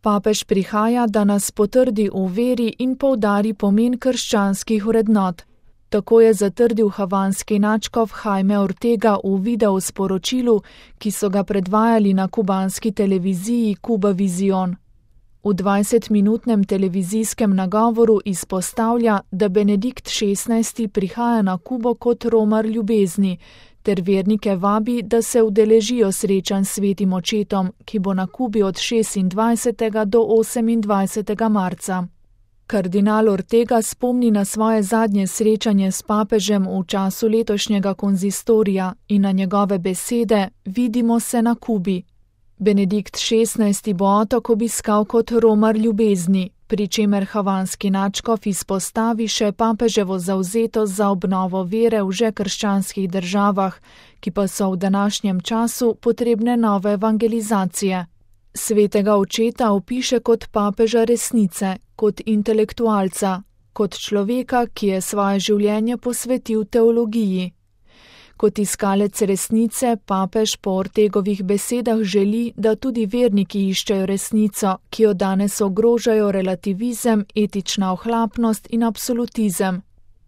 Papež prihaja, da nas potrdi v veri in poudari pomen krščanskih vrednot. Tako je zatrdil havanski nadškof Jaime Ortega v video sporočilu, ki so ga predvajali na kubanski televiziji Cuba Visión. V 20-minutnem televizijskem nagovoru izpostavlja, da Benedikt XVI. Prihaja na Kubo kot romar ljubezni, ter vernike vabi, da se udeležijo srečanj s svetim očetom, ki bo na Kubi od 26. do 28. marca. Kardinal Ortega spomni na svoje zadnje srečanje s papežem v času letošnjega konzistorija in na njegove besede: "Vidimo se na Kubi." Benedikt XVI. Bo otok obiskal kot romar ljubezni, pri čemer havanski nadškof izpostavi še papeževo zavzetost za obnovo vere v že krščanskih državah, ki pa so v današnjem času potrebne nove evangelizacije. Svetega očeta opiše kot papeža resnice, kot intelektualca, kot človeka, ki je svoje življenje posvetil teologiji. Kot iskalec resnice papež po Ortegovih besedah želi, da tudi verniki iščejo resnico, ki jo danes ogrožajo relativizem, etična ohlapnost in absolutizem.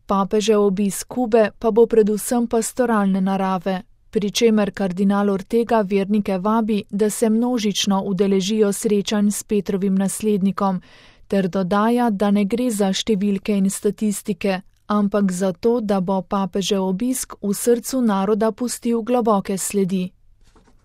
Papežev obisk Kube pa bo predvsem pastoralne narave, pri čemer kardinal Ortega vernike vabi, da se množično udeležijo srečanj s Petrovim naslednikom, ter dodaja, da ne gre za številke in statistike, ampak za to, da bo papežev obisk v srcu naroda pustil globoke sledi.